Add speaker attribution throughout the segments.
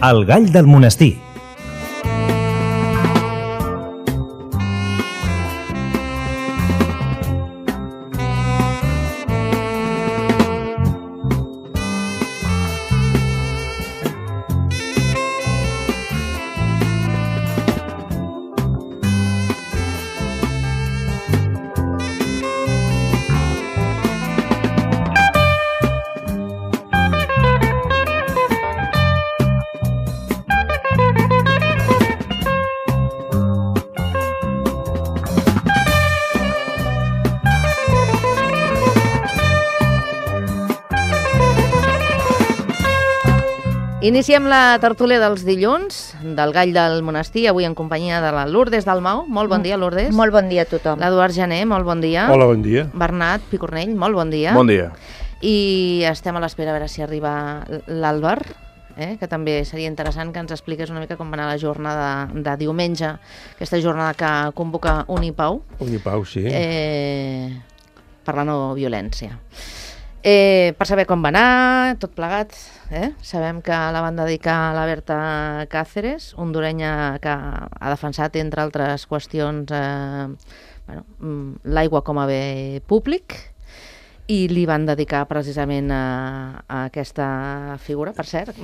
Speaker 1: El gall del monestir.
Speaker 2: Iniciem la tertúlia dels dilluns del Gall del Monestir, avui en companyia de la Lourdes Dalmau. Molt bon dia, Lourdes.
Speaker 3: Molt bon dia a tothom.
Speaker 2: L'Eduard Gené, molt bon dia.
Speaker 4: Hola, bon dia.
Speaker 2: Bernat Picornell, molt bon dia.
Speaker 4: Bon dia.
Speaker 2: I estem a l'espera a veure si arriba l'Àlvar, que també seria interessant que ens expliqués una mica com va anar la jornada de diumenge, aquesta jornada que convoca Unipau.
Speaker 4: Unipau, sí.
Speaker 2: Per la no violència. Per saber com va anar, tot plegat, sabem que la van dedicar a la Berta Cáceres, hondurenya que ha defensat, entre altres qüestions, l'aigua com a bé públic, i li van dedicar precisament a aquesta figura, per cert,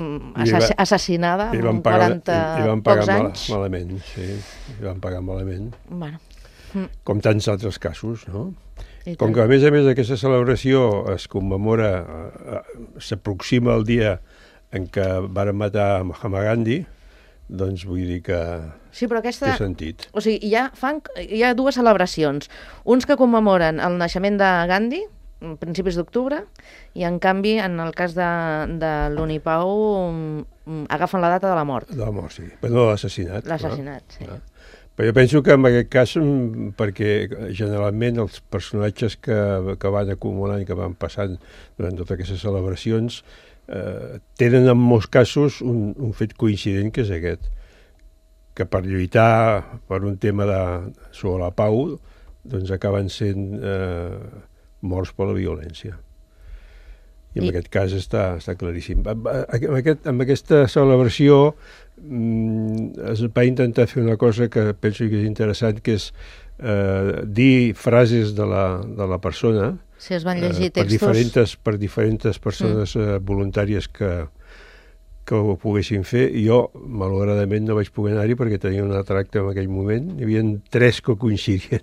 Speaker 2: assassinada amb 40 pocs anys.
Speaker 4: Malament, sí, li van pagar malament.
Speaker 2: Bueno.
Speaker 4: Com tants altres casos, no? Com que a més aquesta celebració es commemora, s'aproxima el dia en què varen matar Mahatma Gandhi, doncs vull dir que
Speaker 2: sí, però aquesta,
Speaker 4: té sentit.
Speaker 2: O sigui, hi ha dues celebracions. Uns que commemoren el naixement de Gandhi, a principis d'octubre, i en canvi, en el cas de l'Unipau, agafen la data de la mort.
Speaker 4: De la mort, sí. Però no l'assassinat.
Speaker 2: L'assassinat, sí.
Speaker 4: Però jo penso que en aquest cas, perquè generalment els personatges que van acumulant i que van passant durant totes aquestes celebracions tenen en molts casos un fet coincident, que és aquest, que per lluitar per un tema sobre la pau doncs acaben sent morts per la violència. I en aquest cas està claríssim. Amb aquesta celebració es va intentar fer una cosa que penso que és interessant, que és dir frases de la persona,
Speaker 2: sí, es van llegir textos
Speaker 4: per diferents persones voluntàries que ho poguessin fer. Jo, malauradament, no vaig poder anar-hi perquè tenia un altre acte en aquell moment. Hi havia 3 que coincidien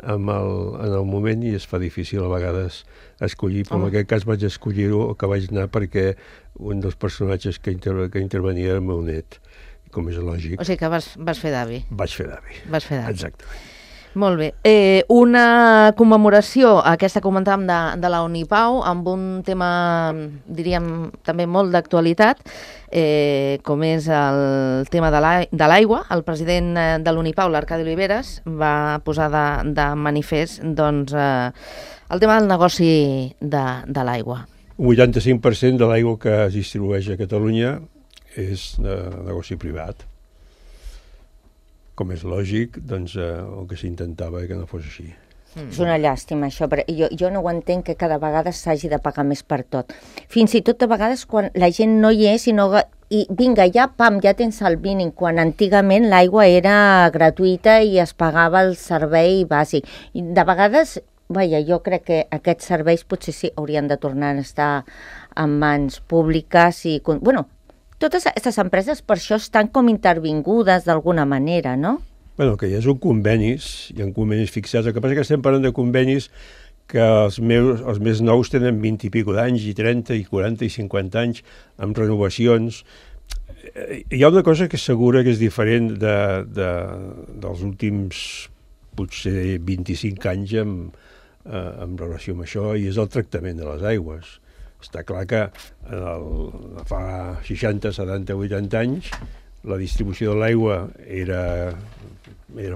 Speaker 4: en el moment i es fa difícil a vegades escollir, però en aquest cas vaig escollir-ho, que vaig anar perquè un dels personatges que intervenia era el meu net, com és lògic.
Speaker 2: O sigui que vas fer d'avi.
Speaker 4: Vaig fer d'avi.
Speaker 2: Vas fer d'avi.
Speaker 4: Exactament.
Speaker 2: Molt bé. Una commemoració, aquesta comentàvem de la Unipau, amb un tema, diríem, també molt d'actualitat, com és el tema de l'aigua. El president de l'Unipau, l'Arcadi Oliveres, va posar de manifest doncs, el tema del negoci de l'aigua.
Speaker 4: Un 85% de l'aigua que es distribueix a Catalunya és de negoci privat. Com és lògic, doncs el que s'intentava que no fos així.
Speaker 3: És una llàstima, això, però jo no ho entenc, que cada vegada s'hagi de pagar més per tot. Fins i tot a vegades quan la gent no hi és i vinga, ja tens el mínim, quan antigament l'aigua era gratuïta i es pagava el servei bàsic. I de vegades, jo crec que aquests serveis potser sí haurien de tornar a estar en mans públiques i... Totes aquestes empreses per això estan com intervingudes d'alguna manera, no?
Speaker 4: Bueno, que hi ha convenis, hi ha convenis fixats. El que passa és que estem parlant de convenis que els més nous tenen 20 i escaig d'anys, i 30, i 40, i 50 anys, amb renovacions. Hi ha una cosa que és segura que és diferent dels últims, potser 25 anys en relació amb això, i és el tractament de les aigües. Està clar que fa 60, 70, 80 anys la distribució de l'aigua era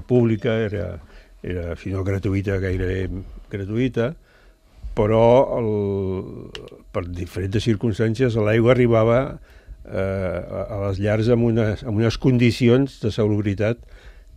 Speaker 4: pública, era si no gratuïta, gairebé gratuïta, però per diferents circumstàncies l'aigua arribava a les llars amb unes condicions de salubritat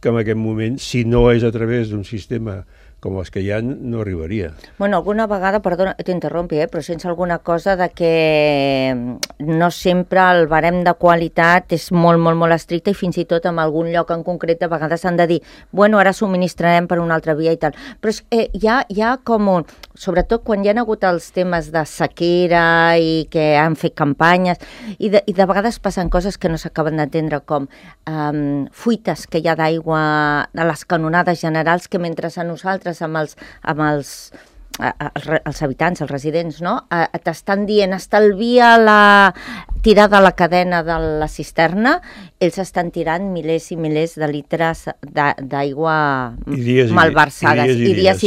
Speaker 4: que en aquest moment, si no és a través d'un sistema com les que hi ha no arribaria.
Speaker 3: Bueno, alguna vegada, perdona, t'interrompi, però sense alguna cosa de que no sempre el barem de qualitat és molt, molt, molt estricte i fins i tot en algun lloc en concret de vegades s'han de dir, bueno, ara subministrarem per una altra via i tal. Però hi ha com un... Sobretot quan hi ha hagut els temes de sequera i que han fet campanyes i de vegades passen coses que no s'acaben d'entendre com fuites que hi ha d'aigua a les canonades generals que mentre a nosaltres amb els habitants, els residents, no? T'estan dient estalvia la tirada a la cadena de la cisterna, ells estan tirant milers i milers de litres d'aigua malversades, i dies.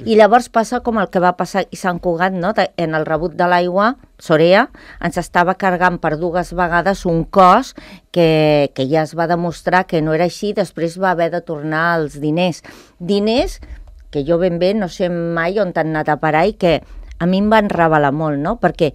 Speaker 3: I llavors passa com el que va passar a Sant Cugat, no? En el rebut de l'aigua, Sorea ens estava cargant per 2 vegades un cost que ja es va demostrar que no era així, després va haver de tornar els diners que jo ben bé no sé mai on han anat a parar i que a mi em van revelar molt, no? Perquè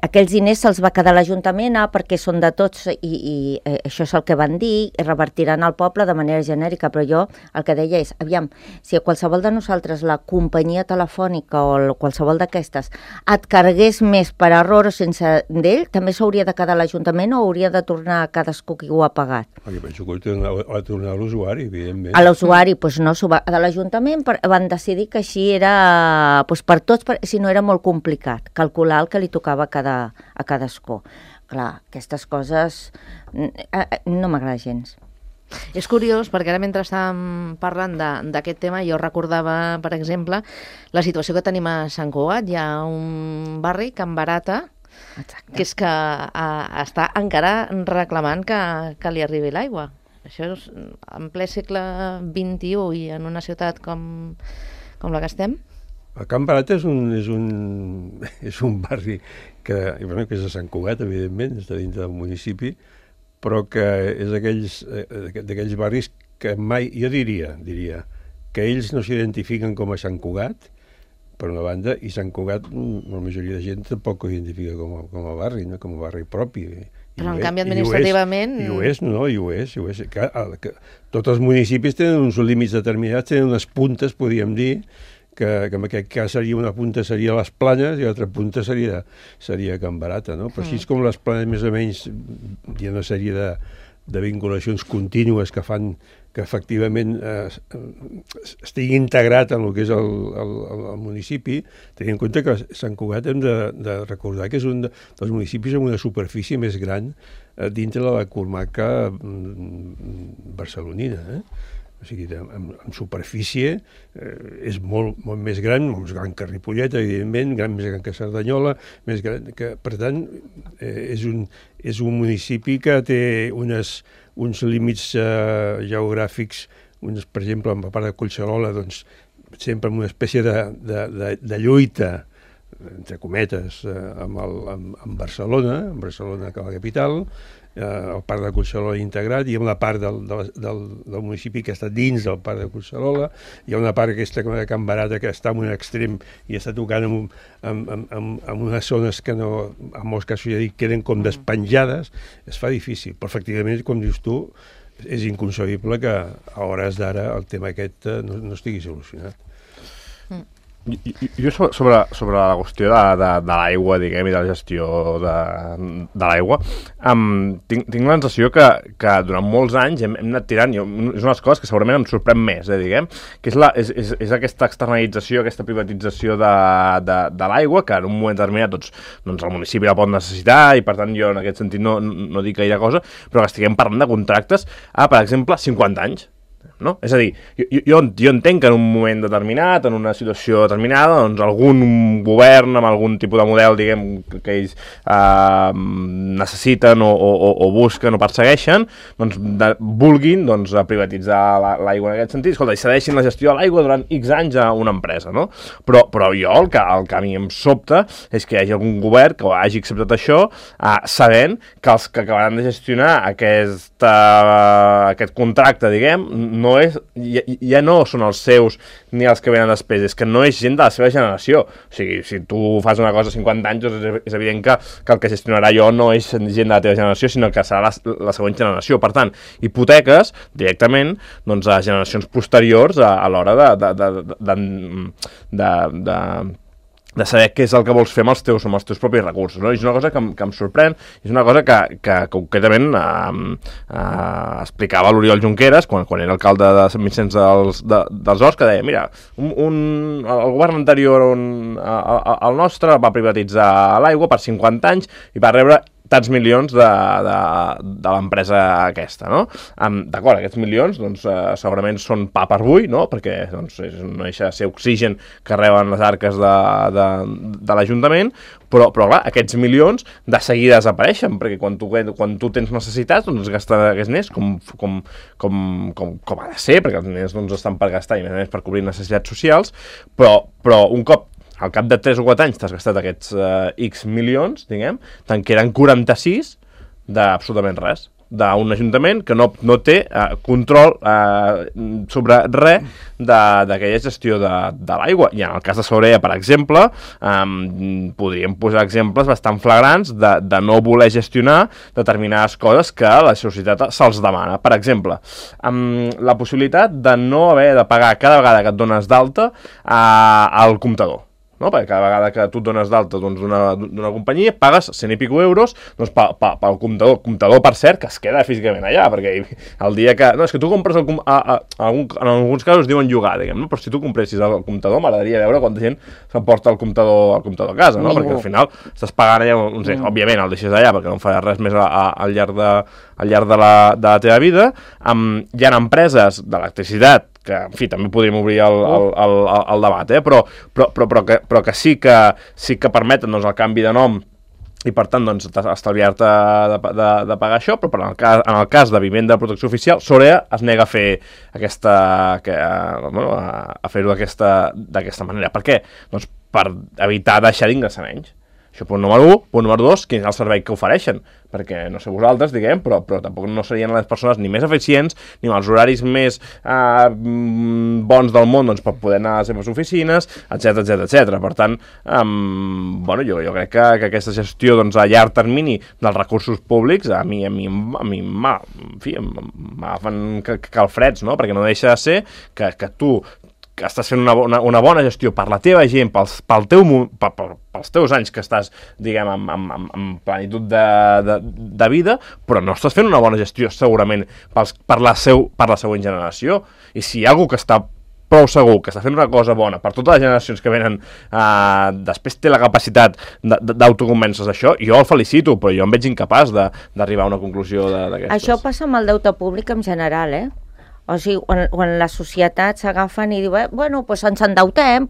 Speaker 3: aquells diners se'ls va quedar l'Ajuntament perquè són de tots i això és el que van dir, i revertiran al poble de manera genèrica, però jo el que deia és, aviam, si a qualsevol de nosaltres la companyia telefònica o qualsevol d'aquestes et cargués més per error o sense d'ell, també s'hauria de quedar l'Ajuntament o hauria de tornar a cadascú qui ho ha pagat?
Speaker 4: Jo penso que ha tornar a l'usuari, evidentment.
Speaker 3: A l'usuari, doncs no, de l'Ajuntament van decidir que així era per tots, si no era molt complicat calcular el que li tocava a cadascú. Clar, aquestes coses no m'agrada gens.
Speaker 2: És curiós, perquè ara mentre estàvem parlant d'aquest tema, jo recordava, per exemple, la situació que tenim a Sant Cugat. Hi ha un barri, Can Barata, exacte, que és que està encara reclamant que li arribi l'aigua. Això és en ple segle XXI i en una ciutat com la que estem.
Speaker 4: El Can Barata és un barri que és de Sant Cugat, evidentment, està dintre del municipi, però que és d'aquells barris que mai, jo diria que ells no s'identifiquen com a Sant Cugat, per una banda, i Sant Cugat, la majoria de gent tampoc ho identifica com a barri, no? Com a barri propi.
Speaker 2: Però en canvi administrativament...
Speaker 4: I ho és. Tots els municipis tenen uns límits determinats, tenen unes puntes, podríem dir, que en aquest cas una punta seria les Planes i l'altra punta seria Can Barata, no? Però així és com les Planes més o menys hi ha una sèrie de vinculacions contínues que fan que efectivament estigui integrat en el que és el municipi, tenint en compte que Sant Cugat hem de recordar que és un dels municipis amb una superfície més gran dintre de la comarca barcelonina, O sigui, en superfície és molt més gran que Ripollet, evidentment, més gran que Cerdanyola, més gran que... Per tant, és un municipi que té uns límits geogràfics, per exemple, en la part de Collserola, doncs, sempre amb una espècie de lluita, entre cometes, amb Barcelona que la capital, el parc de Collserola integrat, hi ha una part del municipi que està dins del parc de Collserola, hi ha una part aquesta de Can Barata que està en un extrem i està tocant en unes zones que no, en molts casos ja dic, queden com despenjades, es fa difícil, però efectivament, com dius tu, és inconcebible que a hores d'ara el tema aquest no estigui solucionat.
Speaker 1: Jo sobre la qüestió de l'aigua, diguem, i de la gestió de l'aigua, tinc la sensació que durant molts anys hem anat tirant, és una de les coses que segurament em sorprèn més, diguem, que és aquesta externalització, aquesta privatització de l'aigua, que en un moment determinat doncs el municipi la pot necessitar, i per tant jo en aquest sentit no dic gaire cosa, però que estiguem parlant de contractes a, per exemple, 50 anys. No? És a dir, jo entenc que en un moment determinat, en una situació determinada, doncs algun govern amb algun tipus de model, diguem, que ells necessiten o busquen o persegueixen, doncs vulguin privatitzar l'aigua en aquest sentit. Escolta, i cedeixin la gestió de l'aigua durant X anys a una empresa, no? Però jo el que a mi em sobta és que hi hagi algun govern que hagi acceptat això sabent que els que acabaran de gestionar aquest contracte, diguem, no no és, ja no són els seus ni els que venen després, és que no és gent de la seva generació. O sigui, si tu fas una cosa a 50 anys, doncs és evident que el que gestionarà jo no és gent de la teva generació, sinó que serà la següent generació. Per tant, hipoteques directament doncs, a generacions posteriors a l'hora de saber què és el que vols fer amb els teus propis recursos, no? I és una cosa que em sorprèn, és una cosa que concretament explicava l'Oriol Junqueras quan era alcalde de Sant Vicenç dels Horts, que deia, mira, el govern anterior el nostre va privatitzar l'aigua per 50 anys i va rebre tants milions de l'empresa aquesta, no? D'acord, aquests milions doncs, segurament són pa per avui, no? Perquè doncs, no deixa de ser oxigen que reben les arques de l'Ajuntament, però clar, aquests milions de seguida desapareixen, perquè quan tu tens necessitats, doncs gastar aquests diners com ha de ser, perquè els diners doncs, estan per gastar i a més per cobrir necessitats socials, però un cop al cap de 3 o 4 anys t'has gastat aquests X milions, diguem, te'n queden 46 d'absolutament res, d'un ajuntament que no té control sobre res d'aquella gestió de l'aigua. I en el cas de Sorea, per exemple, podríem posar exemples bastant flagrants de no voler gestionar determinades coses que la societat se'ls demana. Per exemple, la possibilitat de no haver de pagar cada vegada que et dones d'alta al comptador. No? Perquè cada vegada que tu et dones d'alta d'una companyia pagues 100 i pico euros doncs, pel comptador, per cert, que es queda físicament allà, perquè el dia que... No, és que tu compres en alguns casos diuen llogar, diguem, no? Però si tu compressis el comptador, m'agradaria veure quanta gent s'emporta el comptador a casa, no? Perquè al final estàs pagant allà, no sé, òbviament el deixes allà perquè no faràs res més al llarg de la teva vida. Hi ha empreses d'electricitat que, en fi, també podríem obrir el debat, però que sí que permeten doncs, el canvi de nom i, per tant, doncs, estalviar-te de pagar això, però en el cas de vivenda de protecció oficial, Sorea es nega a fer a fer-ho d'aquesta manera. Per què? Doncs per evitar deixar d'ingressar menys. Això punt número 1. Punt número 2, quin és el servei que ofereixen? Perquè, no sé vosaltres, diguem, però tampoc no serien les persones ni més eficients, ni amb els horaris més bons del món doncs, per poder anar a les seves oficines, etc. Per tant, jo crec que aquesta gestió doncs, a llarg termini dels recursos públics a mi m'agafen calfreds, no? Perquè no deixa de ser que tu que estàs fent una bona gestió per la teva gent, pels teus anys que estàs, diguem, amb plenitud de vida, però no estàs fent una bona gestió segurament per la següent generació. I si hi ha algú que està prou segur que està fent una cosa bona per totes les generacions que venen, després té la capacitat d'autoconvèncer-se d'això, jo el felicito, però jo em veig incapaç d'arribar a una conclusió d'aquestes.
Speaker 3: Això passa amb el deute públic en general, O sigui, quan la societat s'agafen i diu, bueno, doncs ens endeutem,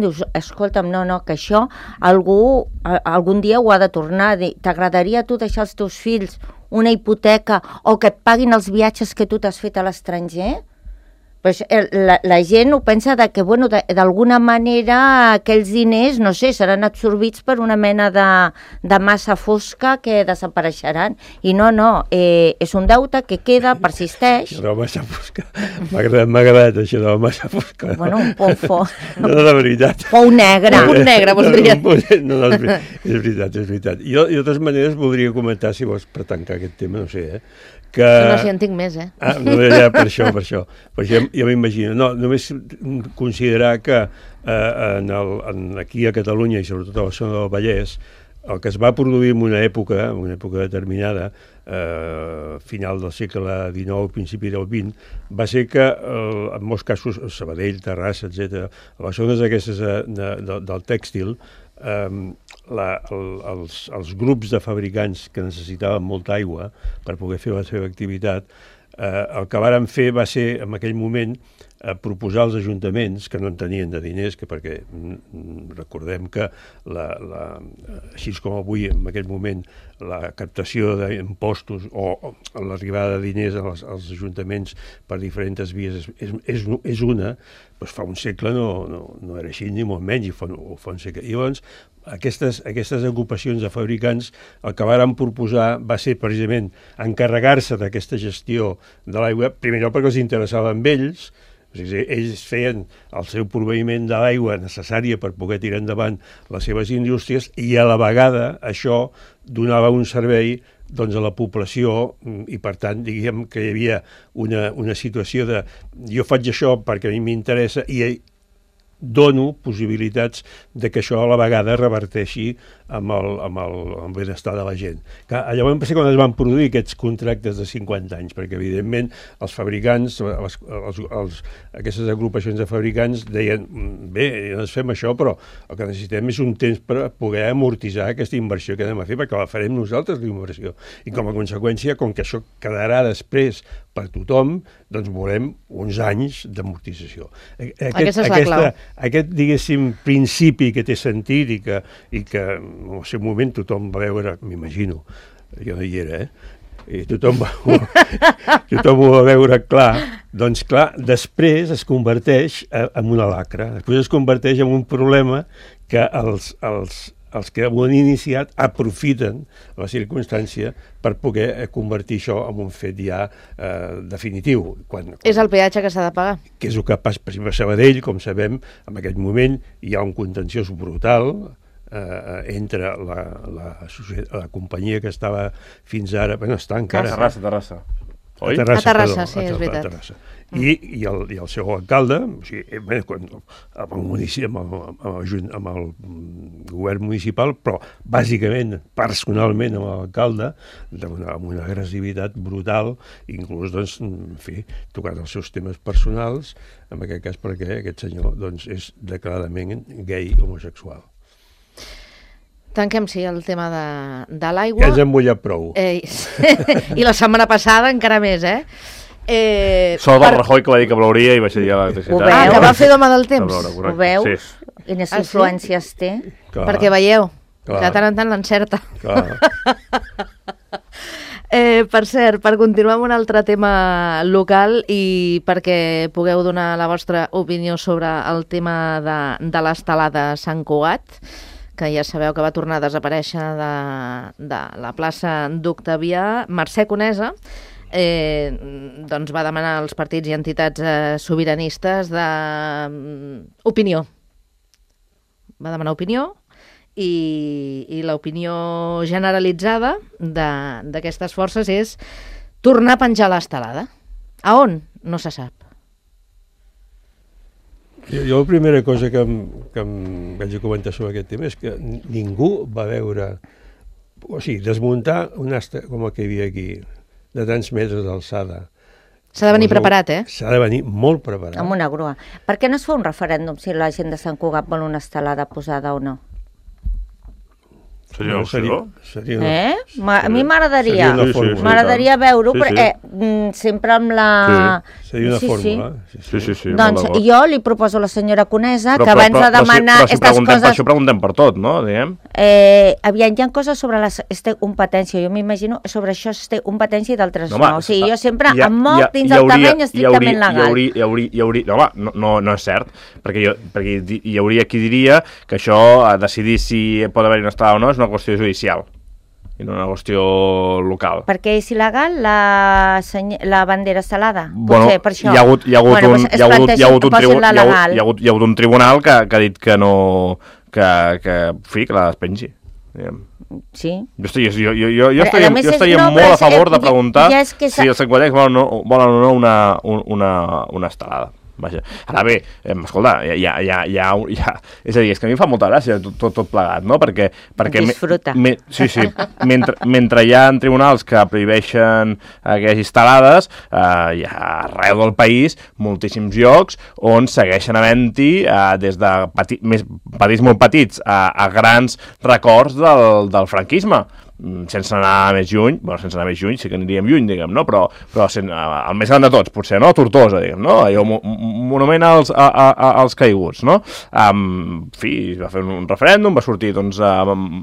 Speaker 3: dius, escolta'm, no, que això algun dia ho ha de tornar. T'agradaria a tu deixar als teus fills una hipoteca o que et paguin els viatges que tu t'has fet a l'estranger? Pues la gent ho pensa que, bueno, d'alguna manera aquells diners, no sé, seran absorbits per una mena de massa fosca que desapareixeran. I no, és un deute que queda, persisteix.
Speaker 4: Això de la massa fosca, m'ha agradat això de la massa fosca.
Speaker 3: Bueno, un pou
Speaker 4: No, de veritat.
Speaker 3: Pou negre.
Speaker 2: Un punt negre, voldria.
Speaker 4: No, és veritat. Jo, de totes maneres, voldria comentar, si vols, per tancar aquest tema, no sé, que...
Speaker 2: No, si en tinc més,
Speaker 4: No, ja, per això. Perquè jo m'imagino. No, només considerar que aquí a Catalunya i sobretot a la zona del Vallès, el que es va produir en una època determinada, final del segle XIX, principi del XX, va ser que, en molts casos, Sabadell, Terrassa, etc., a les zones aquestes del tèxtil, els grups de fabricants que necessitaven molta aigua per poder fer la seva activitat, el que varen fer va ser, en aquell moment, proposar als ajuntaments, que no en tenien de diners, perquè recordem que així com avui, en aquest moment, la captació d'impostos o l'arribada de diners als ajuntaments per diferents vies és una, doncs fa un segle no era així, ni molt menys, fa un segle. I llavors, aquestes agrupacions de fabricants, el que varen proposar va ser precisament encarregar-se d'aquesta gestió de l'aigua, primer lloc perquè els interessava amb ells, o sigui, ells feien el seu proveïment de l'aigua necessària per poder tirar endavant les seves indústries i a la vegada això donava un servei doncs, a la població i per tant diguem que hi havia una situació de jo faig això perquè a mi m'interessa i dono possibilitats de que això a la vegada reverteixi amb el benestar de la gent. Llavors va ser quan es van produir aquests contractes de 50 anys, perquè evidentment els fabricants, aquestes agrupacions de fabricants deien, bé, ens fem això, però el que necessitem és un temps per poder amortitzar aquesta inversió que anem a fer, perquè la farem nosaltres, la inversió. I com a conseqüència, com que això quedarà després per tothom, doncs volem uns anys d'amortització.
Speaker 2: Aquesta és la clau.
Speaker 4: Aquest, diguéssim, principi que té sentit i que en el seu moment tothom va veure, m'imagino, jo no hi era, i tothom ho va veure clar, doncs clar, després es converteix en una lacra, després es converteix en un problema que els que ho han iniciat aprofiten la circumstància per poder convertir això en un fet ja definitiu.
Speaker 2: És el peatge que s'ha de pagar.
Speaker 4: Que és el que passa, per exemple, a Sabadell, com sabem, en aquest moment hi ha un contenciós brutal entre la companyia que estava fins ara, bueno, està encara...
Speaker 1: Terrassa.
Speaker 2: Oi? A Terrassa, sí, és veritat.
Speaker 4: I el seu alcalde, o sigui, amb el municipi, amb el govern municipal, però bàsicament, personalment, amb l'alcalde, amb una agressivitat brutal, inclús, doncs, en fi, tocant els seus temes personals, en aquest cas perquè aquest senyor doncs, és declaradament gay homosexual.
Speaker 2: Tanquem, sí, el tema de l'aigua.
Speaker 4: Ja ens hem mullat prou.
Speaker 2: I la setmana passada encara més,
Speaker 1: Sol del Rajoy que va dir que plouria i va ser l'electricitat.
Speaker 2: Que va fer d'home del temps.
Speaker 3: Ho veu? Sí. Quines influències té?
Speaker 4: Clar.
Speaker 2: Perquè veieu, que de tant en tant l'encerta. Per cert, per continuar amb un altre tema local i perquè pugueu donar la vostra opinió sobre el tema de l'estelada Sant Cugat, que ja sabeu que va tornar a desaparèixer de la plaça d'Octavià, Mercè Conesa doncs va demanar als partits i entitats sobiranistes opinió. Va demanar opinió i l'opinió generalitzada d'aquestes forces és tornar a penjar l'estelada. A on? No se sap.
Speaker 4: Jo la primera cosa que em vaig a comentar sobre aquest tema és que ningú va veure, o sigui, desmuntar un asta com el que hi havia aquí, de tants metres d'alçada.
Speaker 2: S'ha de venir preparat,
Speaker 4: S'ha de venir molt preparat.
Speaker 3: Amb una grua. Per què no es fa un referèndum si la gent de Sant Cugat vol una estelada posada o no?
Speaker 1: Seria una opció?
Speaker 3: A mi m'agradaria. M'agradaria veure-ho, perquè sempre amb la...
Speaker 4: Seria una fórmula.
Speaker 1: Sí.
Speaker 3: Doncs jo li proposo a la senyora Conesa que abans de demanar aquestes coses...
Speaker 1: Això preguntem per tot, no? Diguem.
Speaker 3: Aviam, hi ha coses sobre la competència. Jo m'imagino sobre això es té competència i d'altres no. O sigui, jo sempre em moc dins del terreny estrictament legal.
Speaker 1: No és cert, perquè hi hauria qui diria que això, a decidir si pot haver-hi una estelada o no, és una qüestió judicial i no una qüestió local.
Speaker 3: Perquè és il·legal la bandera estelada? Potser per això.
Speaker 1: Hi ha hagut un tribunal que ha dit que no, que la despengi.
Speaker 3: Sí.
Speaker 1: Jo estaria molt a favor de preguntar si els sanguanencs volen o no una estelada. Vaja. Ara bé, escolta, és a dir, és que a mi em fa molta gràcia tot plegat, no? Perquè
Speaker 3: disfruta.
Speaker 1: Mentre hi ha tribunals que prohibeixen aquestes instal·lades, hi ha arreu del país moltíssims llocs on segueixen havent-hi des de petits molt petits a grans records del franquisme. sense anar més lluny, sí que aniríem lluny, diguem, no? Però el més gran de tots, potser, no? Tortosa, diguem, no? Allò, monument als caiguts, no? En fi, va fer un referèndum, va sortir, doncs...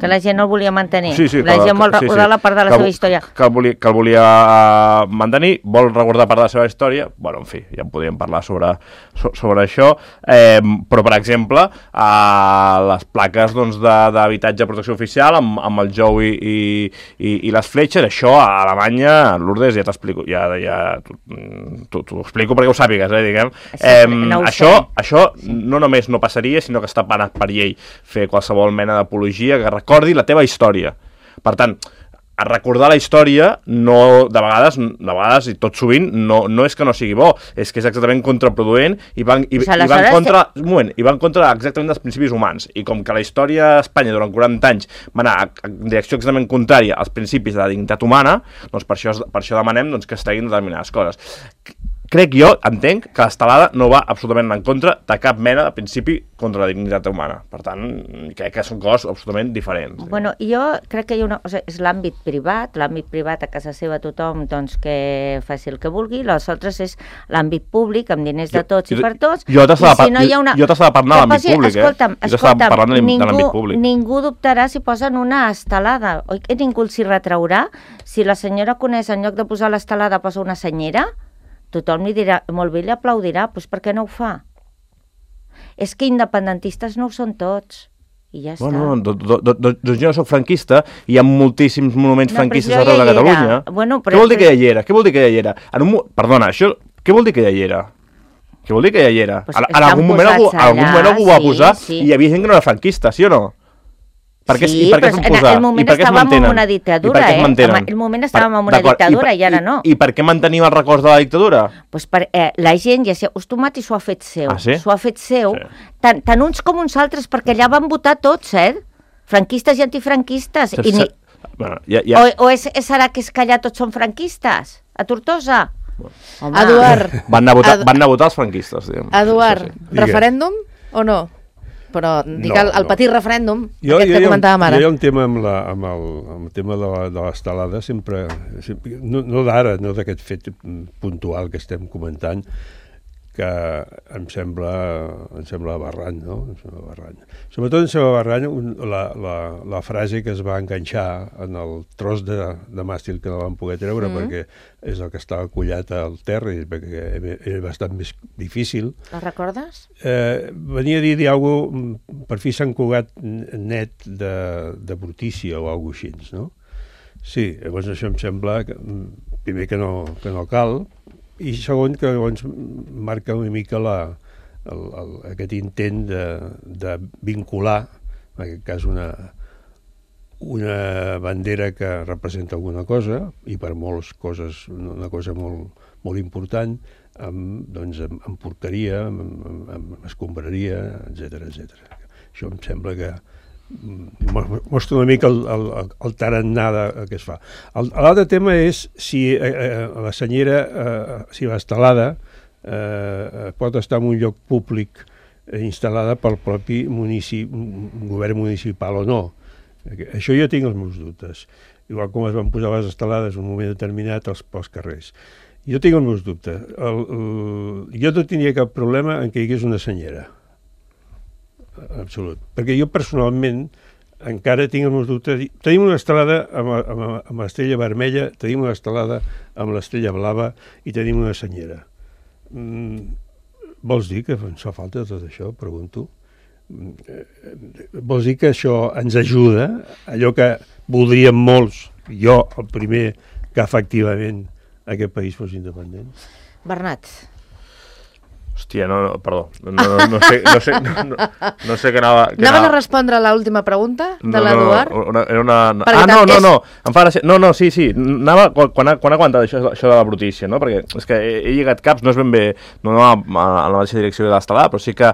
Speaker 3: Que la gent no el volia mantenir.
Speaker 1: Sí,
Speaker 3: la gent vol recordar la part de la seva història.
Speaker 1: Que el volia mantenir, vol recordar part de la seva història, bueno, en fi, ja en podríem parlar sobre això, però, per exemple, les plaques d'habitatge de protecció oficial amb el jou i les fletxes, això a Alemanya, Lourdes, ja t'explico, t'ho explico perquè ho sàpigues, diguem. Això no només no passaria, sinó que està penat per llei fer qualsevol mena d'apologia que recordi la teva història. Per tant, a recordar la història, de vegades i tot sovint, no és que no sigui bo, és que és exactament contraproduent i va en contra exactament dels principis humans. I com que la història d'Espanya durant 40 anys va anar en direcció exactament contrària als principis de la dignitat humana, doncs per això demanem que es treguin determinades coses. Entenc que l'estelada no va absolutament en contra de cap mena de principi contra la dignitat humana. Per tant, crec que són coses absolutament diferents.
Speaker 3: Bueno, jo crec que hi ha una cosa, és l'àmbit privat a casa seva tothom que faci el que vulgui, les altres és l'àmbit públic, amb diners de tots i per tots.
Speaker 1: Jo t'estava parlant de l'àmbit públic,
Speaker 3: Escolta'm, ningú dubtarà si posen una estelada. Oi que ningú s'hi retraurà? Si la senyora Conés, en lloc de posar l'estelada, posa una senyera, tothom li dirà, molt bé, li aplaudirà, doncs per què no ho fa? És que independentistes no ho són tots, i ja està.
Speaker 1: Doncs jo no soc franquista, i hi ha moltíssims monuments franquistes arreu de Catalunya. Què vol dir que ja hi era? Perdona, què vol dir que ja hi era? Què vol dir que ja hi era? En algun moment algú va posar i hi havia gent que no era franquista, sí o no?
Speaker 3: Sí, però en el moment estàvem en una dictadura, el moment estàvem en una dictadura i ara no.
Speaker 1: I per què mantenim els records de la dictadura?
Speaker 3: Doncs la gent ja s'hi ha acostumat i s'ho ha fet seu. S'ho ha fet seu, tant uns com uns altres, perquè allà van votar tots, franquistes i antifranquistes. O serà que és que allà tots són franquistes? A Tortosa?
Speaker 2: Eduard.
Speaker 1: Van anar a votar els franquistes.
Speaker 2: Eduard, referèndum o no? Però dic el petit referèndum, aquest que comentàvem ara.
Speaker 4: Jo hi ha un tema amb el tema de l'estelada, sempre no d'ara, no d'aquest fet puntual que estem comentant, que em sembla aberrant, no? Sobretot em sembla aberrant la frase que es va enganxar en el tros de màstil que no van poder treure, perquè és el que estava collat al terra, perquè era bastant més difícil.
Speaker 3: La recordes?
Speaker 4: Venia a dir alguna cosa, per fi Sant Cugat net de brutícia o alguna cosa així, no? Sí, llavors això em sembla, primer que no cal, i segon, que llavors marca una mica aquest intent de vincular, en aquest cas una bandera que representa alguna cosa, i per moltes coses una cosa molt, molt important, amb porqueria, amb escombraria, etc. Això em sembla que mostra una mica el tarannà que es fa. L'altre tema és si la senyera, si l'estelada pot estar en un lloc públic instal·lada pel propi govern municipal o no. Això jo tinc els meus dubtes. Igual com es van posar les estelades en un moment determinat pels carrers. Jo tinc els meus dubtes. Jo no tindria cap problema en que hi hagués una senyera. Absolut. Perquè jo personalment encara tinc els meus dubtes. Tenim una estelada amb l'estrella vermella, tenim una estelada amb l'estrella blava i tenim una senyera. Vols dir que ens fa falta tot això? Pregunto. Vols dir que això ens ajuda? Allò que voldríem molts, jo el primer, que efectivament aquest país fos independent?
Speaker 2: Bernat.
Speaker 1: Hòstia, perdó, no sé què anava...
Speaker 2: Anaven a respondre a l'última pregunta de l'Eduard?
Speaker 1: Em fa gràcia... No, sí, anava quan ha aguantat això de la brutícia, no? Perquè és que he lligat caps, no és ben bé, no a la mateixa direcció de l'estelada, però sí que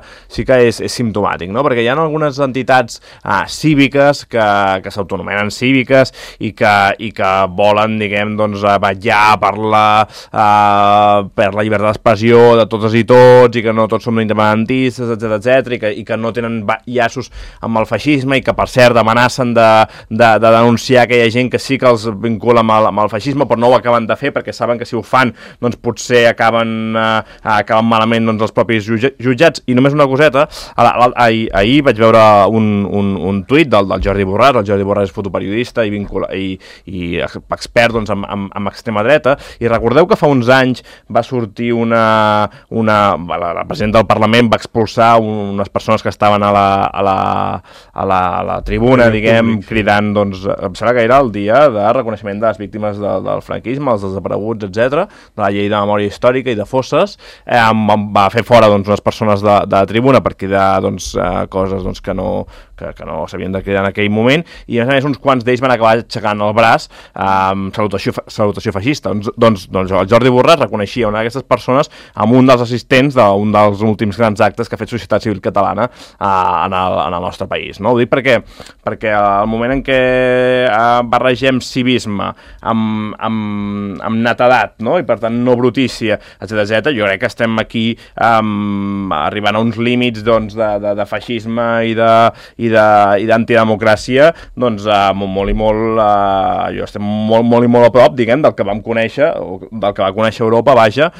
Speaker 1: és simptomàtic, no? Perquè hi ha algunes entitats cíviques que s'autonomenen cíviques i que volen, diguem, vetllar per la llibertat d'expressió de totes i tots, tots i que no tots som independentistes, etc i que no tenen llaços amb el feixisme i que, per cert, amenacen de denunciar aquella gent que sí que els vincula amb el feixisme, però no ho acaben de fer perquè saben que si ho fan, doncs potser acaben malament doncs, els propis jutjats. I només una coseta, ahir vaig veure un tuit del Jordi Borràs. El Jordi Borràs és fotoperiodista i expert doncs, amb extrema dreta, i recordeu que fa uns anys va sortir la presidenta del Parlament va expulsar unes persones que estaven a la tribuna, diguem, cridant, doncs, em sembla que era el dia de reconeixement de les víctimes del franquisme, els desapareguts, etc, de la llei de memòria històrica i de fosses. Va fer fora doncs, unes persones de la tribuna per cridar doncs, coses doncs, que no s'havien de cridar en aquell moment, i a més uns quants d'ells van acabar aixecant el braç salutació feixista. Doncs el Jordi Borràs reconeixia una d'aquestes persones amb un dels assistents d'un dels últims grans actes que ha fet Societat Civil Catalana en el nostre país. No? Ho dic perquè al moment en què barregem civisme amb netedat, no? I per tant no brutícia, etc, jo crec que estem aquí arribant a uns límits doncs, de feixisme i d'antidemocràcia doncs, molt i molt jo estem molt i molt a prop, diguem, del que vam conèixer, o del que va conèixer Europa, vaja,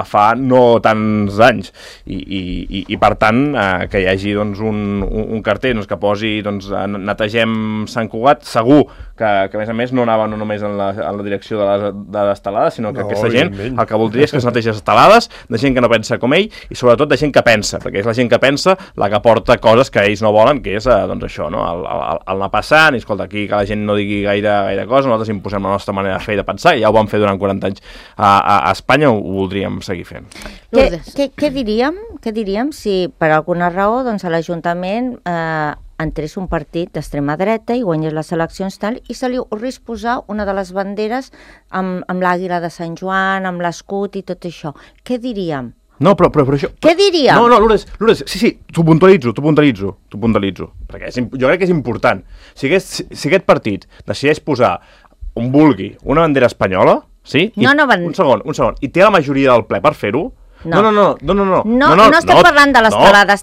Speaker 1: fa no tants anys, i per tant que hi hagi doncs, un cartell doncs, que posi doncs, netegem Sant Cugat, segur que a més no anava no només en la direcció de les estelades, sinó que aquesta gent el que voldria és que es netegi les estelades de gent que no pensa com ell, i sobretot de gent que pensa, perquè és la gent que pensa la que porta coses que ells no volen, que és doncs això, no? el anar passant, i escolta, aquí que la gent no digui gaire cosa, nosaltres imposem la nostra manera de fer i de pensar, i ja ho vam fer durant 40 anys a Espanya, ho voldríem seguir fent.
Speaker 3: Què diríem si per alguna raó doncs, a l'Ajuntament entrés un partit d'extrema dreta i guanyés les eleccions tal, i se li ocorrís posar una de les banderes amb l'àguila de Sant Joan, amb l'escut i tot això? Què diríem?
Speaker 1: No, però això...
Speaker 3: Què diríem?
Speaker 1: No, Lourdes, sí, t'ho puntualitzo, perquè jo crec que és important. Si aquest partit decideix posar on vulgui una bandera espanyola, sí? Un segon, i té la majoria del ple per fer-ho? No estem parlant de l'estelada,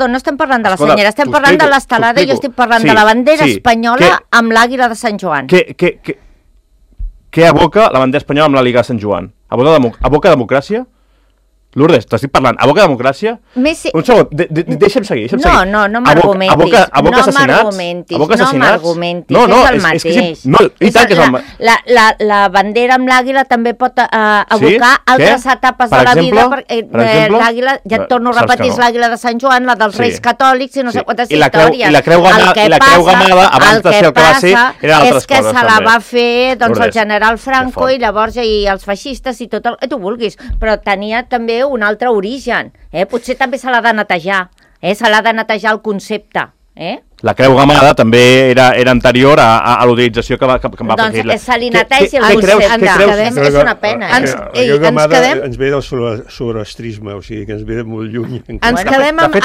Speaker 1: no estem parlant de la senyera, estem parlant de l'estelada i jo estic parlant de la bandera espanyola amb l'àguila de Sant Joan. Què aboca la bandera espanyola amb l'àguila de Sant Joan? Aboca democràcia? Lourdes, t'estic parlant, aboca democràcia? Un segon, deixa'm seguir.
Speaker 3: No m'argumentis.
Speaker 1: Aboca assassinats?
Speaker 3: No m'argumentis, és el mateix.
Speaker 1: I tant que és el mateix.
Speaker 3: La bandera amb l'àguila també pot abocar altres etapes de la vida. L'àguila, ja et torno a repetir, és l'àguila de Sant Joan, la dels Reis Catòlics i no sé quantes històries.
Speaker 1: I la creu gamada, abans de ser el que va ser, eren altres coses.
Speaker 3: És que se la va fer el general Franco i llavors i els feixistes i tot el que tu vulguis, però tenia també un altre origen, potser també se l'ha de netejar, se l'ha de netejar el concepte,
Speaker 1: La creu gamada també era anterior a l'utilització que va fer Hitler.
Speaker 3: Doncs se li netegi el concepte. És una pena.
Speaker 4: Ens ve del zoroastrisme, o sigui que ens ve de molt lluny.
Speaker 2: Ens quedem amb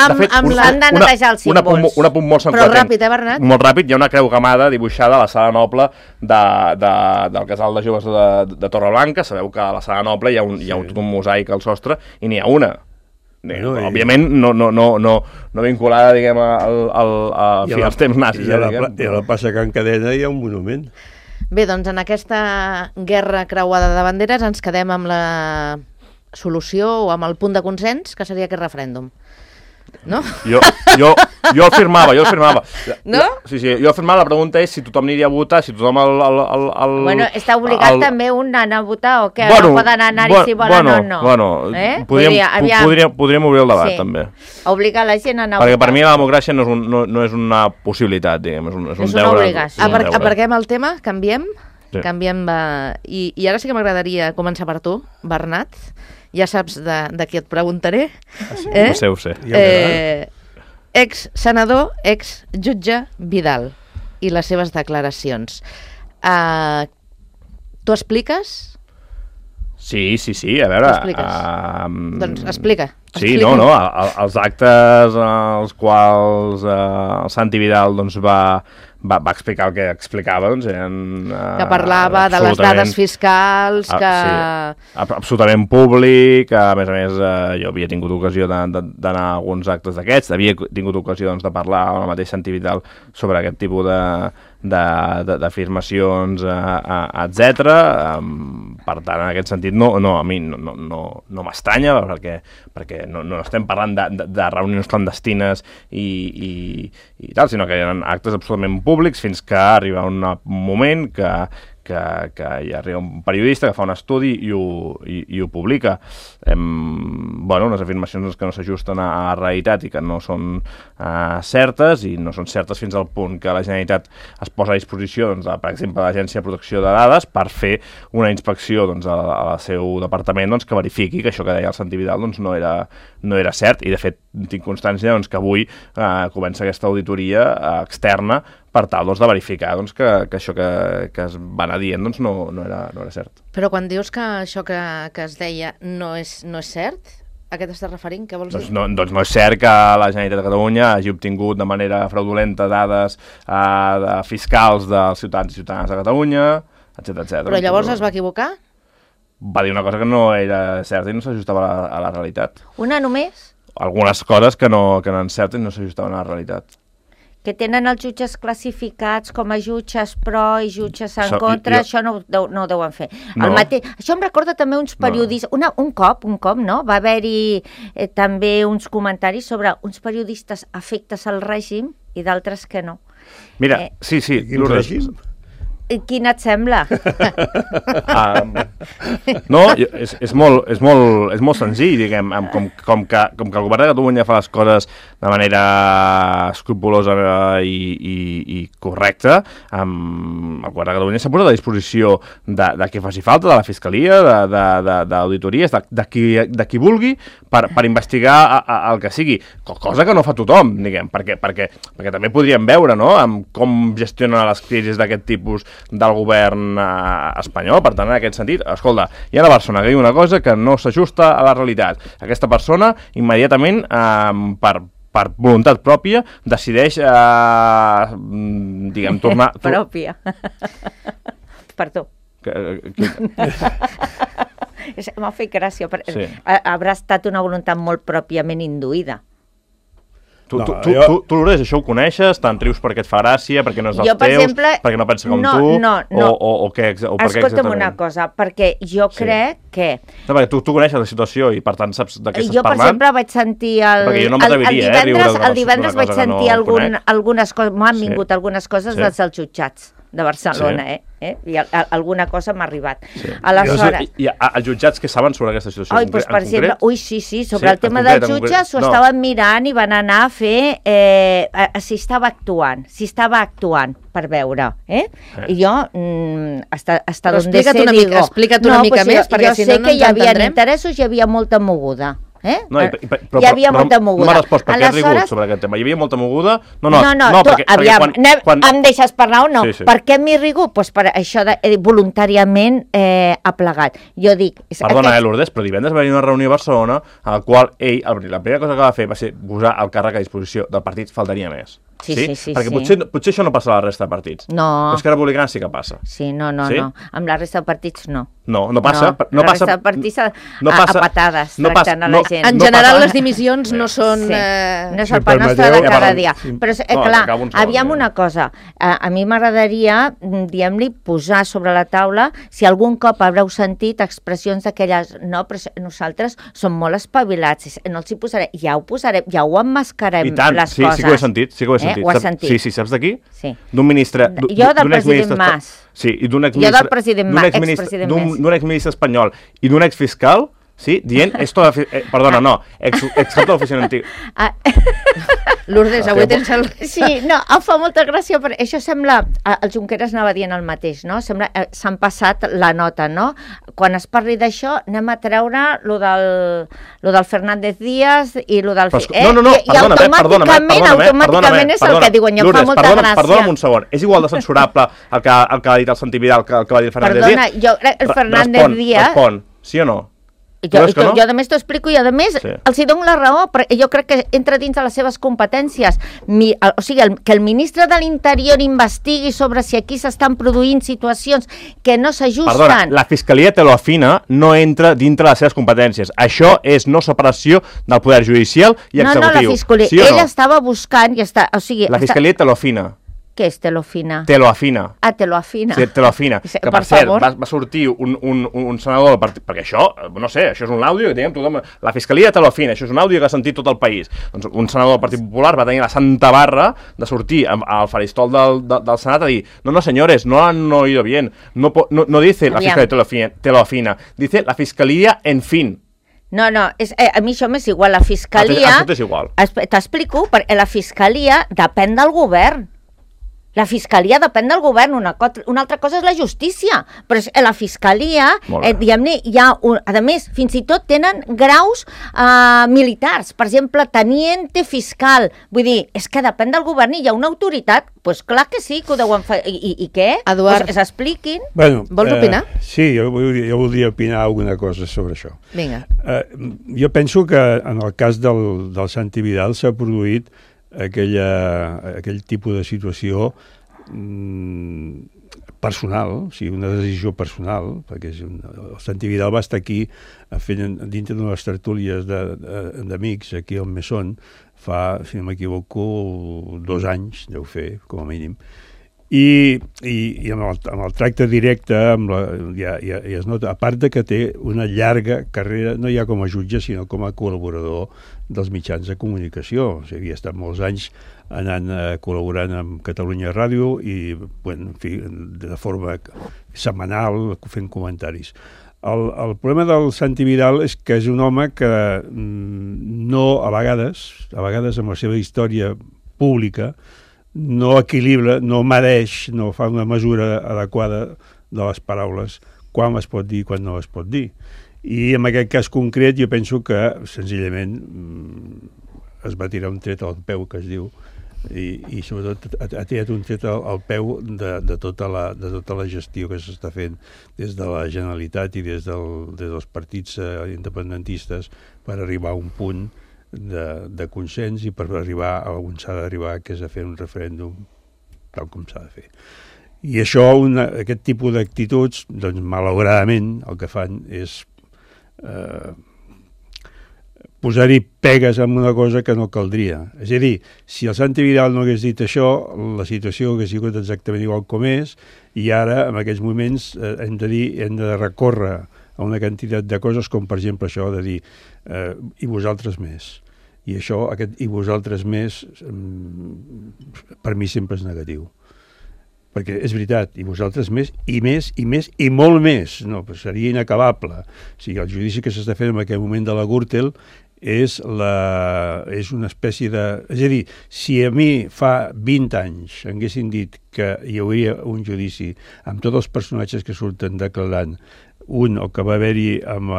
Speaker 2: la...
Speaker 3: Han de netejar els símbols.
Speaker 1: Un apunt molt
Speaker 2: Però ràpid, Bernat?
Speaker 1: Molt ràpid, hi ha una creu gamada dibuixada a la Sala Noble del Casal de Joves de Torreblanca. Sabeu que a la Sala Noble hi ha tot un mosaic al sostre i n'hi ha una. Òbviament no vinculada, diguem, als temps nazis.
Speaker 4: I a la plaça Can Cadena hi ha un monument.
Speaker 2: Bé, doncs en aquesta guerra creuada de banderes ens quedem amb la solució o amb el punt de consens, que seria aquest referèndum. No?
Speaker 1: Jo el firmava.
Speaker 2: No?
Speaker 1: Sí, jo el firmava. La pregunta és si tothom aniria a votar, si tothom
Speaker 3: Bueno, està obligat també un a anar a votar o què? No poden anar-hi si volen o no.
Speaker 1: Bueno, podríem obrir el debat, també.
Speaker 3: Obligar la gent a anar a votar.
Speaker 1: Perquè per mi la democràcia no és una possibilitat, diguem, és un
Speaker 3: una obligació.
Speaker 2: Aparquem el tema, canviem. I ara sí que m'agradaria començar per tu, Bernat. Ja saps de qui et preguntaré.
Speaker 1: Ho sé.
Speaker 2: Ex-senador, ex-jutge Vidal i les seves declaracions. Tu expliques?
Speaker 1: Sí, a veure...
Speaker 2: Doncs explica.
Speaker 1: Sí, els actes als quals el Santi Vidal doncs, va va explicar el que explicava, doncs eren...
Speaker 2: Que parlava de les dades fiscals, que...
Speaker 1: Sí, absolutament públic, a més, jo havia tingut ocasió d'anar a alguns actes d'aquests, havia tingut ocasió doncs, de parlar amb el mateix Santi Vidal sobre aquest tipus d'afirmacions, etc. Per tant, en aquest sentit, a mi no m'estranya, perquè no estem parlant de reunions clandestines i tal, sinó que eren actes absolutament públics fins que arriba un moment que hi arriba un periodista que fa un estudi i ho publica. Unes afirmacions que no s'ajusten a la realitat i que no són certes, i no són certes fins al punt que la Generalitat es posa a disposició, doncs, per exemple, de l'Agència de Protecció de Dades per fer una inspecció doncs, al seu departament doncs, que verifiqui que això que deia el Santi Vidal doncs, no era cert, i de fet tinc constància doncs, que avui comença aquesta auditoria externa per tal doncs, de verificar doncs, que això que es va anar dient doncs, no era cert.
Speaker 2: Però quan dius que això que es deia no és cert, a què t'estàs referint? Què vols dir?
Speaker 1: Doncs no és cert que la Generalitat de Catalunya hagi obtingut de manera fraudulenta dades fiscals dels ciutadans i ciutadanes de Catalunya, etc.
Speaker 2: Però llavors es va equivocar?
Speaker 1: Va dir una cosa que no era certa i no s'ajustava a la realitat.
Speaker 3: Una només?
Speaker 1: Algunes coses que no eren certes i no s'ajustaven a la realitat.
Speaker 3: Que tenen els jutges classificats com a jutges pro i jutges en contra, això no ho deuen fer.
Speaker 1: No.
Speaker 3: Això em recorda també uns periodistes, un cop, no? Va haver-hi també uns comentaris sobre uns periodistes afectes al règim i d'altres que no.
Speaker 1: Mira, sí.
Speaker 4: Quin règim?
Speaker 3: Quin et sembla?
Speaker 1: No, és molt senzill, diguem, com que el govern de Catalunya fa les coses de manera escrupulosa i correcta, el govern de Catalunya s'ha posat a disposició de qui faci falta, de la Fiscalia, d'auditories, de qui vulgui, per investigar el que sigui, cosa que no fa tothom, diguem, perquè també podríem veure, no?, com gestiona les crisis d'aquest tipus del govern espanyol. Per tant, en aquest sentit, escolta, hi ha una persona que diu una cosa que no s'ajusta a la realitat. Aquesta persona, immediatament, per voluntat pròpia, decideix, diguem, tornar...
Speaker 3: Pròpia. Perdó. M'ha fet gràcia. Sí. Haurà estat una voluntat molt pròpiament induïda.
Speaker 1: Tu, Lourdes, això ho coneixes? Te'n rius perquè et fa gràcia, perquè no és dels teus, exemple, perquè no pensa com tu?
Speaker 3: No.
Speaker 1: O què
Speaker 3: Escolta'm una cosa, perquè jo crec que...
Speaker 1: No, perquè tu coneixes la situació i per tant saps de què estàs
Speaker 3: parlant. Jo, per exemple, vaig sentir el divendres vaig sentir algunes coses, m'han vingut algunes coses dels jutjats de Barcelona, i alguna cosa m'ha arribat. Aleshores...
Speaker 1: I els jutjats què saben sobre aquesta situació en concret?
Speaker 3: Per exemple, sí, sobre el tema dels jutges ho estaven mirant i van anar a fer si estava actuant per veure, i jo hasta donde sé digo...
Speaker 2: Explica't una mica més, perquè si no
Speaker 3: jo sé que hi havia interessos, hi havia molta moguda.
Speaker 1: Però
Speaker 3: hi havia molta moguda.
Speaker 1: No m'ha respost per què has rigut sobre aquest tema. Hi havia molta moguda?
Speaker 3: No, aviam, em deixes parlar o no? Per què m'he rigut? Doncs per això voluntàriament ha plegat. Jo dic...
Speaker 1: Perdona, Lourdes, però divendres va venir una reunió a Barcelona a la qual ell, la primera cosa que va fer va ser posar el càrrec a disposició del partit, faltaria més.
Speaker 3: Sí.
Speaker 1: Perquè potser això no passa a la resta de partits.
Speaker 3: No.
Speaker 1: Però Esquerra Republicana sí que passa.
Speaker 3: Sí, no. Amb la resta de partits no.
Speaker 1: No passa.
Speaker 3: La resta de partits a patades, tractant a la gent.
Speaker 2: En general les dimissions no són...
Speaker 3: No és el pa nostre de cada dia. Però, clar, aviam una cosa. A mi m'agradaria, diguem-li, posar sobre la taula si algun cop haureu sentit expressions d'aquelles... No, però nosaltres som molt espavilats. No els hi posaré. Ja ho posarem, ja ho emmascarem, les coses.
Speaker 1: Sí que ho he sentit.
Speaker 3: Ho has sentit?
Speaker 1: Sí, saps d'aquí?
Speaker 3: Sí.
Speaker 1: D'un ministre...
Speaker 3: Jo del president Mas.
Speaker 1: Sí, i d'un
Speaker 3: expresident Mas.
Speaker 1: D'un exministre espanyol i d'un exfiscal, sí, dient... Perdona, no, excat de l'oficina antiga.
Speaker 2: Lourdes, avui tens el...
Speaker 3: Sí, no, em fa molta gràcia, perquè això sembla... El Junqueras anava dient el mateix, no? Sembla... S'han passat la nota, no? Quan es parli d'això, anem a treure lo del Fernández Díaz i lo del... I automàticament és el que diuen, i em fa molta gràcia.
Speaker 1: Perdona'm un segon, és igual de censurable el que ha dit el Santi Vidal que el que va dir el Fernández Díaz?
Speaker 3: Perdona, jo crec el Fernández Díaz...
Speaker 1: Respon, sí o no?
Speaker 3: Jo a més t'ho explico i a més els hi dono la raó, perquè jo crec que entra dins de les seves competències. O sigui, que el ministre de l'Interior investigui sobre si aquí s'estan produint situacions que no s'ajusten...
Speaker 1: Perdona, la Fiscalia te lo afina, no entra dintre les seves competències. Això és no separació del poder judicial i executiu.
Speaker 3: No, la Fiscalia,
Speaker 1: sí
Speaker 3: ell estava buscant i està... O sigui,
Speaker 1: la Fiscalia te lo afina.
Speaker 3: Què és te lo afina?
Speaker 1: Te lo afina.
Speaker 3: Ah, te lo afina.
Speaker 1: Sí, te lo afina. Que, per cert, va sortir un senador del partit... Perquè això, no sé, això és un àudio que diguem tothom... La Fiscalia te lo afina, això és un àudio que ha sentit tot el país. Doncs un senador del Partit Popular va tenir la santa barra de sortir al faristol del Senat a dir no, señores, no han oído bien. No dice la Fiscalia te lo afina. Dice la Fiscalia en fin.
Speaker 3: No, a mi això m'és igual. La Fiscalia...
Speaker 1: Això t'és igual.
Speaker 3: T'explico, perquè la Fiscalia depèn del govern. La Fiscalia depèn del govern, una altra cosa és la justícia, però la Fiscalia, diguem-ne, hi ha, a més, fins i tot tenen graus militars, per exemple, teniente fiscal, vull dir, és que depèn del govern i hi ha una autoritat, doncs clar que sí, que ho deuen fer, i què?
Speaker 2: Eduard.
Speaker 3: Pues s'expliquin.
Speaker 4: Bueno,
Speaker 2: vols opinar?
Speaker 4: Sí, jo voldria opinar alguna cosa sobre això.
Speaker 2: Vinga.
Speaker 4: Jo penso que en el cas del Santi Vidal s'ha produït aquell tipus de situació personal, o sigui, una decisió personal, perquè el Santi Vidal va estar aquí fent dintre de les tertúlies d'amics aquí al Mesón fa, si no m'equivoco, 2 anys, deu fer, com a mínim. I amb el tracte directe ja es nota, a part de que té una llarga carrera, no ja com a jutge, sinó com a col·laborador dels mitjans de comunicació. O sigui, havia estat molts anys anant col·laborant amb Catalunya Ràdio i, bueno, en fi, de forma setmanal, fent comentaris. El problema del Santi Vidal és que és un home que no, a vegades amb la seva història pública, no equilibra, no mereix, no fa una mesura adequada de les paraules, quan es pot dir i quan no es pot dir. I en aquest cas concret jo penso que senzillament es va tirar un tret al peu, que es diu, i sobretot ha tirat un tret al peu de tota la gestió que s'està fent des de la Generalitat i des dels partits independentistes per arribar a un punt de consens i per arribar a on s'ha d'arribar, que és a fer un referèndum tal com s'ha de fer. I això, aquest tipus d'actituds, doncs malauradament el que fan és posar-hi pegues en una cosa que no caldria. És a dir, si el Santi Vidal no hagués dit això, la situació hagués sigut exactament igual com és, i ara, en aquests moments, hem de recórrer a una quantitat de coses, com per exemple això de dir i vosaltres més. I això, aquest i vosaltres més, per mi sempre és negatiu. Perquè és veritat, i vosaltres més, i més, i més, i molt més. No, però seria inacabable. O sigui, el judici que s'està fent en aquest moment de la Gürtel és una espècie de... És a dir, si a mi fa 20 anys haguessin dit que hi hauria un judici amb tots els personatges que surten declarant, un, el que va haver-hi amb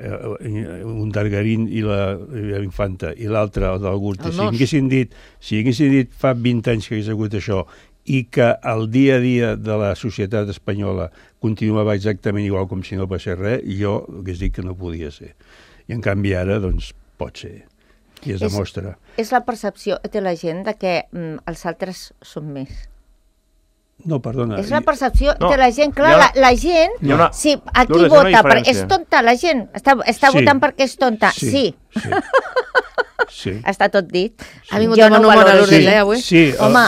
Speaker 4: un Dargarín i la Infanta, i l'altre, el del Gürtel, si haguessin dit fa 20 anys que hagués hagut això i que el dia a dia de la societat espanyola continuava exactament igual com si no passés res, jo hagués dit que no podia ser. I en canvi ara, doncs, pot ser. I es demostra.
Speaker 3: És la percepció de la gent de que els altres són més.
Speaker 4: No, perdona.
Speaker 3: És la percepció de la gent. Clar, la gent, si aquí vota, és tonta, la gent està votant perquè és tonta. Sí. Està tot dit.
Speaker 2: Ha vingut a Manu a l'Urdes, avui?
Speaker 3: Sí. Home,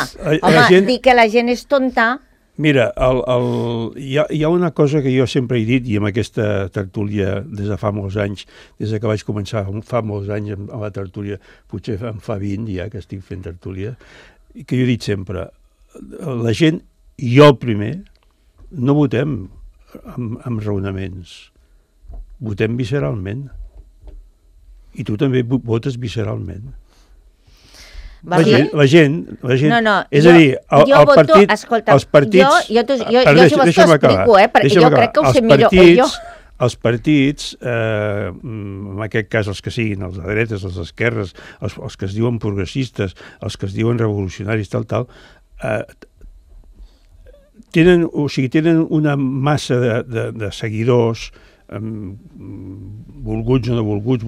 Speaker 3: dir que la gent és tonta...
Speaker 4: Mira, hi ha una cosa que jo sempre he dit, i amb aquesta tertúlia des de fa molts anys, des que vaig començar fa molts anys amb la tertúlia, potser en fa 20 ja que estic fent tertúlia, que jo he dit sempre, la gent, jo el primer, no votem amb raonaments, votem visceralment. I tu també votes visceralment. La gent,
Speaker 3: no,
Speaker 4: és a dir, els partits...
Speaker 3: Jo t'ho explico, perquè jo crec que ho sé millor jo.
Speaker 4: Els partits, en aquest cas els que siguin, els de dretes, els d'esquerres, els que es diuen progressistes, els que es diuen revolucionaris, tal, tenen una massa de seguidors volguts o no volguts,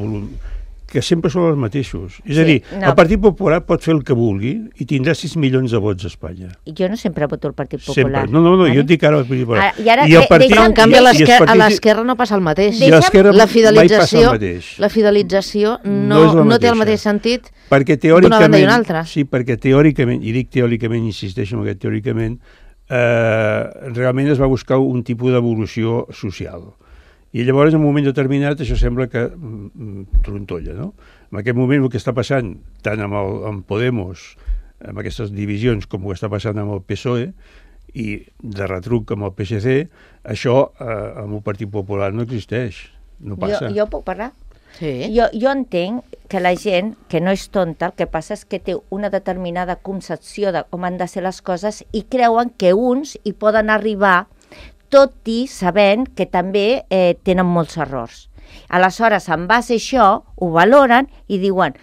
Speaker 4: que sempre són els mateixos. És a dir, el Partit Popular pot fer el que vulgui i tindrà 6 milions de vots a Espanya.
Speaker 3: Jo no sempre voto el Partit Popular.
Speaker 4: Sempre. No, jo et dic ara el Partit Popular.
Speaker 2: Però en canvi a l'esquerra no passa el mateix. La fidelització no té el mateix sentit d'una banda i una altra.
Speaker 4: Sí, perquè teòricament, i dic teòricament, insisteixo en aquest teòricament, realment es va buscar un tipus d'evolució social. I llavors, en un moment determinat, això sembla que trontolla, no? En aquest moment el que està passant, tant amb Podemos, amb aquestes divisions, com el que està passant amb el PSOE, i de retruc amb el PSC, això amb el Partit Popular no existeix, no passa.
Speaker 3: Jo puc parlar?
Speaker 2: Sí.
Speaker 3: Jo entenc que la gent, que no és tonta, el que passa és que té una determinada concepció de com han de ser les coses i creuen que uns hi poden arribar tot i sabent que també tenen molts errors. Aleshores, en base a això, ho valoren i diuen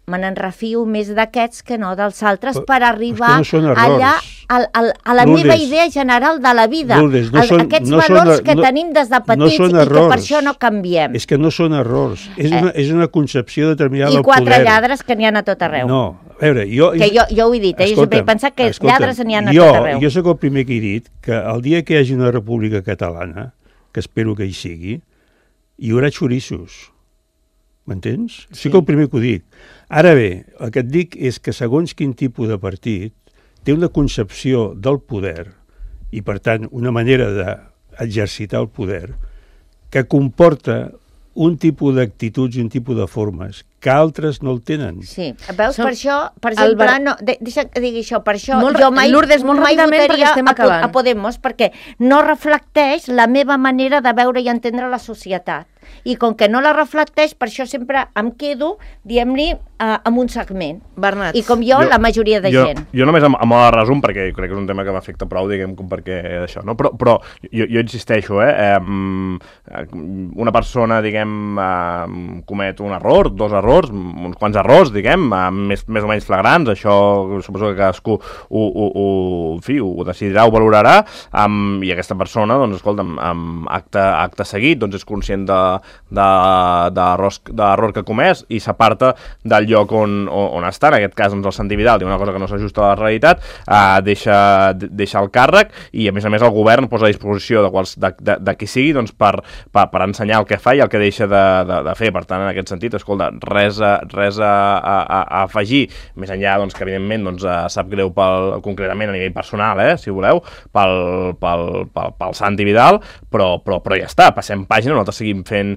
Speaker 3: me n'enrefio més d'aquests que no dels altres per arribar allà a la meva idea general de la vida. Aquests valors que tenim des de petits i que per això no canviem.
Speaker 4: És que no són errors, és una concepció determinada del poder.
Speaker 3: I 4 lladres que n'hi ha a tot arreu.
Speaker 4: No, a veure, jo
Speaker 3: ho he dit, jo sempre he pensat que lladres n'hi ha a tot arreu.
Speaker 4: Jo soc el primer que he dit que el dia que hi hagi una república catalana, que espero que hi sigui, hi haurà xorissos. M'entens? Sí que el primer que ho dic. Ara bé, el que et dic és que segons quin tipus de partit té una concepció del poder i, per tant, una manera d'exercitar el poder que comporta un tipus d'actituds i un tipus de formes que altres no el tenen.
Speaker 3: Sí, veus, per això, per exemple, deixa que digui això, per això jo mai votaria a Podemos, perquè no reflecteix la meva manera de veure i entendre la societat. I com que no la reflecteix, per això sempre em quedo, diguem-li, amb un segment.
Speaker 2: Bernat.
Speaker 3: I com jo, la majoria de gent.
Speaker 1: Jo només amb el resum, perquè crec que és un tema que m'afecta prou, diguem, com perquè això, no? Però jo insisteixo, una persona, diguem, comet un error, 2 errors, uns quants errors, diguem, més o menys flagrants, això suposo que cadascú ho decidirà, ho valorarà, i aquesta persona, doncs, escolta'm, acte seguit, doncs és conscient de l'error que ha comès i s'aparta del lloc on està, en aquest cas doncs, el Santi Vidal diu una cosa que no s'ajusta a la realitat, deixa el càrrec i a més el govern posa a disposició de qui sigui doncs, per ensenyar el que fa i el que deixa de fer. Per tant, en aquest sentit, escolta, res a afegir, més enllà doncs, que evidentment doncs, sap greu concretament a nivell personal, si voleu, pel Santi Vidal, però ja està, passem pàgina, nosaltres seguim fent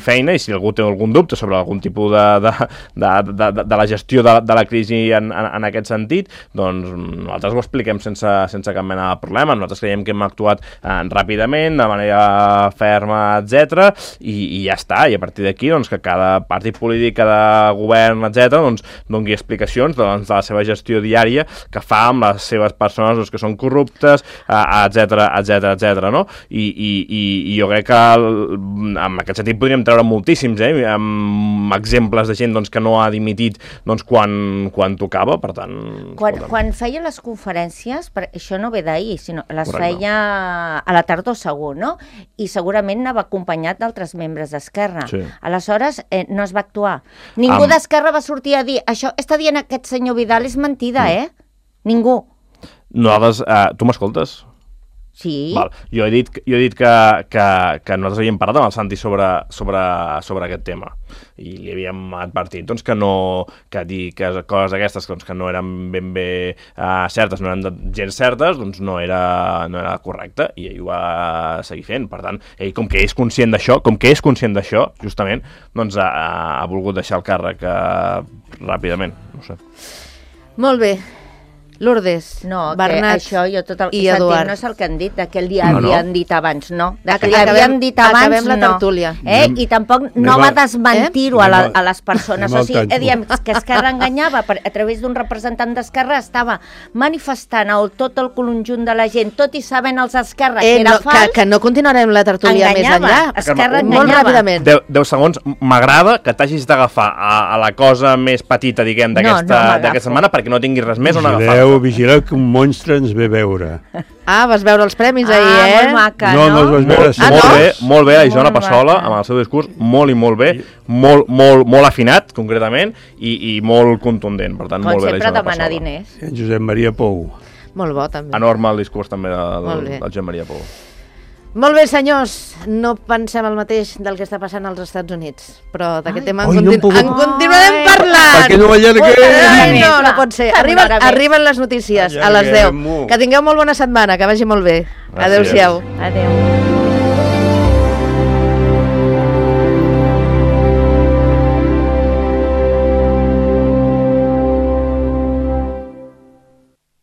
Speaker 1: feina i si algú té algun dubte sobre algun tipus de la gestió de la crisi en aquest sentit, doncs nosaltres ho expliquem sense cap mena de problema. Nosaltres creiem que hem actuat ràpidament, de manera ferma, etc. I ja està, i a partir d'aquí doncs, que cada partit polític, cada govern, etc. doncs doni explicacions de la seva gestió diària que fa amb les seves persones doncs, que són corruptes, etc. No? I jo crec que en aquest sentit podríem treure moltíssims amb exemples de gent doncs, que no ha dimitit doncs, quan tocava, per tant...
Speaker 3: Quan feia les conferències, això no ve d'ahir, sinó les feia a la tardor segur, no? I segurament anava acompanyat d'altres membres d'Esquerra. Sí. Aleshores, no es va actuar. Ningú d'Esquerra va sortir a dir això està dient aquest senyor Vidal és mentida, Ningú.
Speaker 1: Nosaltres, tu m'escoltes?
Speaker 3: Sí.
Speaker 1: Val. Jo he dit que nosaltres havíem parlat amb el Santi sobre aquest tema i li havíem advertit doncs, que dir que coses aquestes doncs, que no eren ben bé certes, no eren gens certes, doncs no era correcte i ell ho va seguir fent. Per tant, ell com que és conscient d'això, justament, doncs ha volgut deixar el càrrec ràpidament. No sé.
Speaker 2: Molt bé. Lourdes, Bernat
Speaker 3: això jo tot el
Speaker 2: i Eduard.
Speaker 3: No és el que han dit, que li havien dit abans, no. Que li havien dit abans,
Speaker 2: acabem la tertúlia.
Speaker 3: I tampoc no va desmentir-ho a les persones. O sigui, diem que Esquerra enganyava, a través d'un representant d'Esquerra estava manifestant tot el conjunt de la gent, tot i sabent els Esquerra que era fals.
Speaker 2: Que no continuarem la tertúlia més enllà.
Speaker 3: Esquerra enganyava.
Speaker 2: Molt ràpidament.
Speaker 1: 10 segons. M'agrada que t'hagis d'agafar a la cosa més petita, diguem, d'aquesta setmana, perquè no tinguis res més on agafar.
Speaker 4: vigileu que un monstre ens ve a veure.
Speaker 2: Ah, vas veure els premis ahir,
Speaker 3: Molt maca,
Speaker 4: No, no els vas veure.
Speaker 2: Ah, no?
Speaker 1: Molt bé, la Isona
Speaker 3: Molt
Speaker 1: Passola,
Speaker 3: maca.
Speaker 1: amb el seu discurs, molt i molt bé, molt afinat, concretament, i molt contundent. Per tant,
Speaker 3: Com
Speaker 1: molt bé la
Speaker 3: sempre
Speaker 1: Isona
Speaker 3: demanar
Speaker 1: Passola.
Speaker 3: diners.
Speaker 4: En Josep Maria Pou.
Speaker 2: Molt bo, també.
Speaker 1: Enorme el discurs també
Speaker 2: Molt bé.
Speaker 1: del Josep Maria Pou.
Speaker 2: Molt bé, senyors, no pensem el mateix del que està passant als Estats Units, però d'aquest tema
Speaker 4: Ai, no hem pogut-
Speaker 2: en continuarem parlant.
Speaker 4: Perquè no allarguem!
Speaker 2: Ai, no pot ser.
Speaker 3: Fem una hora més.
Speaker 2: Arriben les notícies a les 10.
Speaker 4: Allarguem-ho.
Speaker 2: Que tingueu molt bona setmana, que vagi molt bé.
Speaker 1: Gràcies.
Speaker 2: Adéu-siau.
Speaker 3: Adéu.